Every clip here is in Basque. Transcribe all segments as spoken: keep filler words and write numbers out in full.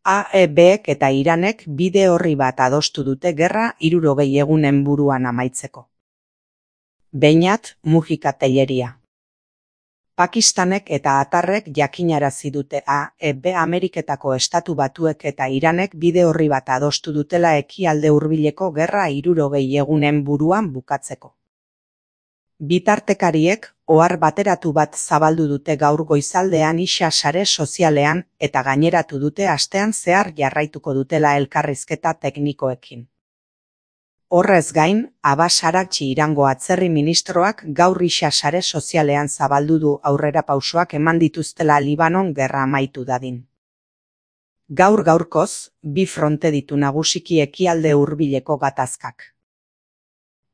A E Bek eta Iranek bide orri bat adostu dute gerra hirurogei egunen buruan amaitzeko. Beñat Mujika Telleria. Pakistanek eta Atarrek jakinarazi dute A E B Ameriketako Estatu Batuek eta Iranek bide orri bat adostu dutela ekialde hurbileko gerra hirurogei egunen buruan bukatzeko. Bitartekariek ohar bateratu bat zabaldu dute gaur goizaldean isa sare sozialean eta gaineratu dute astean zehar jarraituko dutela elkarrizketa teknikoekin. Horrez gain, Abbas Araghchi Irango atzerri ministroak gaur isa sare sozialean zabaldu du aurrerapausoak eman dituztela Libanon gerra amaitu dadin. Gaur gaurkoz, bi fronte ditu nagusiki ekialde hurbileko gatazkak.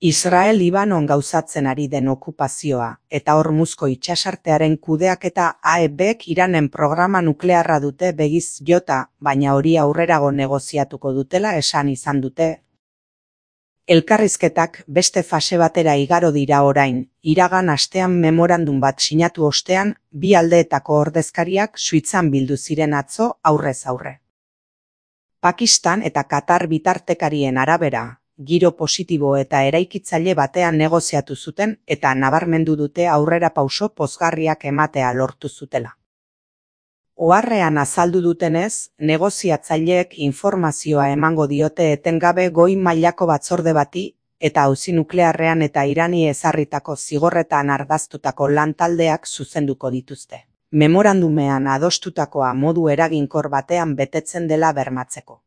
Israel Libanon gauzatzen ari den okupazioa eta Hormuzko itsasartearen kudeaketa A E Bek Iranen programa nuklearra dute begiz jota, baina hori aurrerago negoziatuko dutela esan izan dute. Elkarrizketak beste fase batera igaro dira orain, iragan astean memorandum bat sinatu ostean, bi aldeetako ordezkariak Suitzan bildu ziren atzo aurrez aurre. Pakistan eta Katar bitartekarien arabera, giro positibo eta eraikitzaile batean negoziatu zuten eta nabarmendu dute aurrerapauso pozgarriak ematea lortu zutela. Oharrean azaldu dutenez, negoziatzaileek informazioa emango diote etengabe goi mailako batzorde bati eta auzi nuklearrean eta Irani ezarritako zigorretan ardaztutako lantaldeak zuzenduko dituzte. Memorandumean adostutakoa modu eraginkor batean betetzen dela bermatzeko.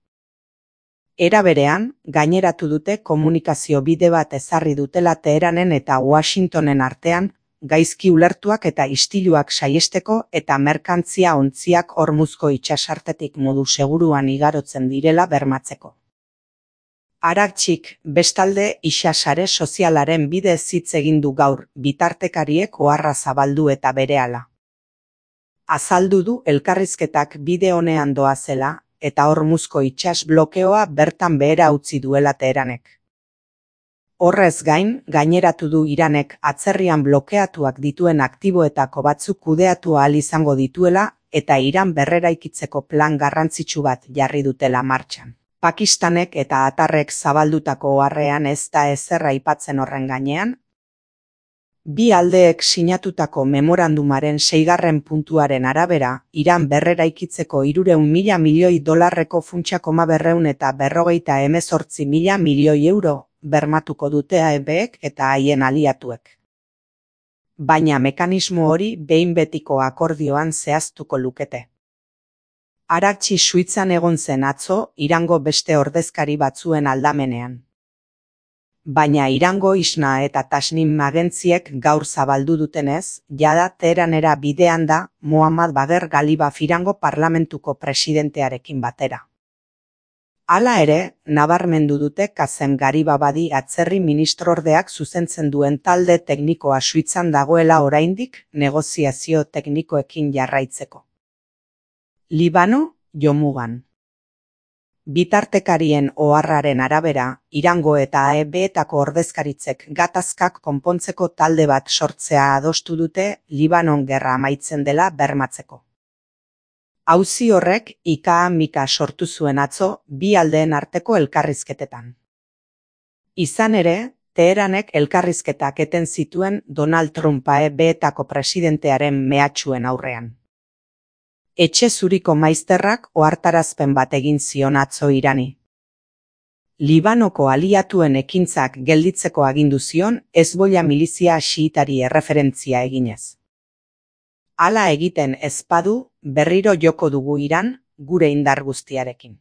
Era berean, gaineratu dute komunikazio bide bat ezarri dutela Teheranen eta Washingtonen artean, gaizki ulertuak eta istiluak saihesteko eta merkantzia ontziak Hormuzko itsasartetik modu seguruan igarotzen direla bermatzeko. Araghchik, bestalde, isa sare sozialaren bidez hitz egin du gaur, bitartekariek oharra zabaldu eta berehala. Azaldu du elkarrizketak bide onean doazela, eta Hormuzko itsas blokeoa bertan behera utzi duela Teheranek. Horrez gain, gaineratu du Iranek atzerrian blokeatuak dituen aktiboetako batzuk kudeatu ahal izango dituela eta Iran berreraikitzeko plan garrantzitsu bat jarri dutela martxan. Pakistanek eta Atarrek zabaldutako oharrean ez da ezer aipatzen horren gainean. Bi aldeek sinatutako memorandumaren seigarren puntuaren arabera, Iran berreraikitzeko hirurehun mila milioi dolarreko funtsa koma berrehun eta berrogeita hemezortzi mila milioi euro bermatuko dute A E Bek eta haien aliatuek. Baina mekanismo hori behin betiko akordioan zehaztuko lukete. Araghchi Suitzan egon zen atzo Irango beste ordezkari batzuen aldamenean. Baina Irango Isna eta Tasnim agentziek gaur zabaldu dutenez, jada Teheranera bidean da Mohammad Bagher Ghalibaf Irango parlamentuko presidentearekin batera. Hala ere, nabarmendu dute Kazem Garibabadi atzerri ministrordeak zuzentzen duen talde teknikoa Suitzan dagoela oraindik negoziazio teknikoekin jarraitzeko. Libano, jomugan. Bitartekarien oharraren arabera, Irango eta A E Betako ordezkaritzek gatazkak konpontzeko talde bat sortzea adostu dute Libanon gerra amaitzen dela bermatzeko. Auzi horrek ika-mika sortu zuen atzo bi aldeen arteko elkarrizketetan. Izan ere, Teheranek elkarrizketak eten zituen Donald Trump A E Betako presidentearen mehatxuen aurrean. Etxe zuriko maizterrak ohartarazpen bat egin zion atzo Irani. Libanoko aliatuen ekintzak gelditzeko agindu zion Hezbollah milizia xiitari erreferentzia eginez. Hala egiten ez badu, berriro joko dugu Iran, gure indar guztiarekin.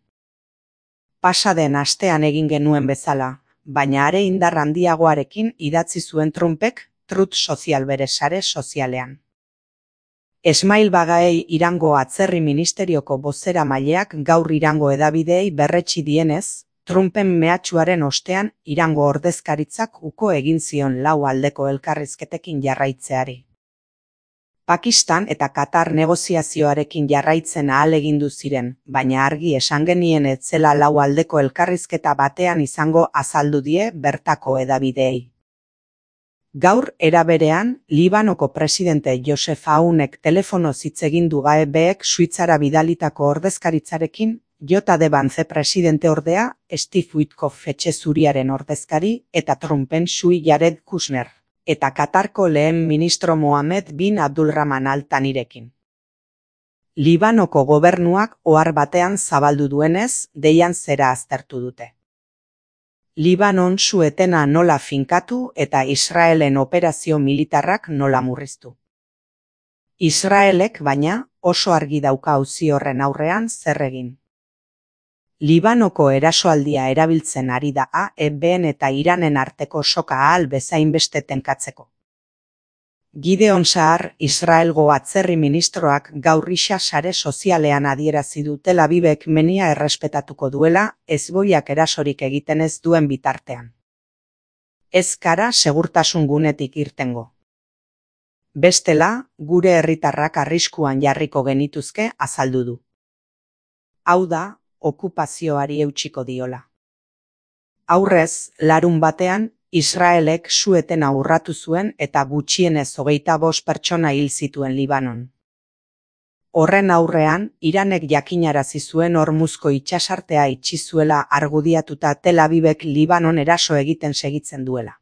Pasa den astean egin genuen bezala, baina are indar handiagoarekin idatzi zuen Trumpek Truth Social bere sare sozialean. Esmail Bagaei Irango atzerri ministerioko bozeramaileak gaur Irango hedabideei berretsi dienez, Trumpen mehatxuaren ostean Irango ordezkaritzak uko egin zion lau aldeko elkarrizketekin jarraitzeari. Pakistan eta Katar negoziazioarekin jarraitzen ahalegindu ziren, baina argi esan genien ez zela lau aldeko elkarrizketa batean izango azaldu die bertako hedabideei. Gaur era berean, Libanoko presidente Joseph Aunek telefonoz hitz egin du A E Bek Suitzara bidalitako ordezkaritzarekin, J D Vance presidente ordea, Steve Witkoff etxe zuriaren ordezkari eta Trumpen sui Jared Kushner, eta Katarko lehen ministro Mohamed bin Abdulrahman Al Thanirekin. Libanoko gobernuak ohar batean zabaldu duenez, deian zera aztertu dute. Libanon su-etena nola finkatu eta Israelen operazio militarrak nola murriztu. Israelek, baina, oso argi dauka auzi horren aurrean zer egin. Libanoko erasoaldia erabiltzen ari da A E B-en eta Iranen arteko soka ahal bezain beste tenkatzeko. Gideon Saar, Israelgo atzerri ministroak gaur isa sare sozialean adierazi du Tel Avivek menia errespetatuko duela, ezboiak erasorik egiten ez duen bitartean. Ez gara segurtasun gunetik irtengo. Bestela, gure herritarrak arriskuan jarriko genituzke azaldu du. Hau da, okupazioari eutsiko diola. Aurrez, larun batean, Israelek su-etena urratu zuen eta gutxienez hogeita bost pertsona hil zituen Libanon. Horren aurrean, Iranek jakinarazi zuen Hormuzko itsasartea itxi zuela argudiatuta Tel Avivek Libanon eraso egiten segitzen duela.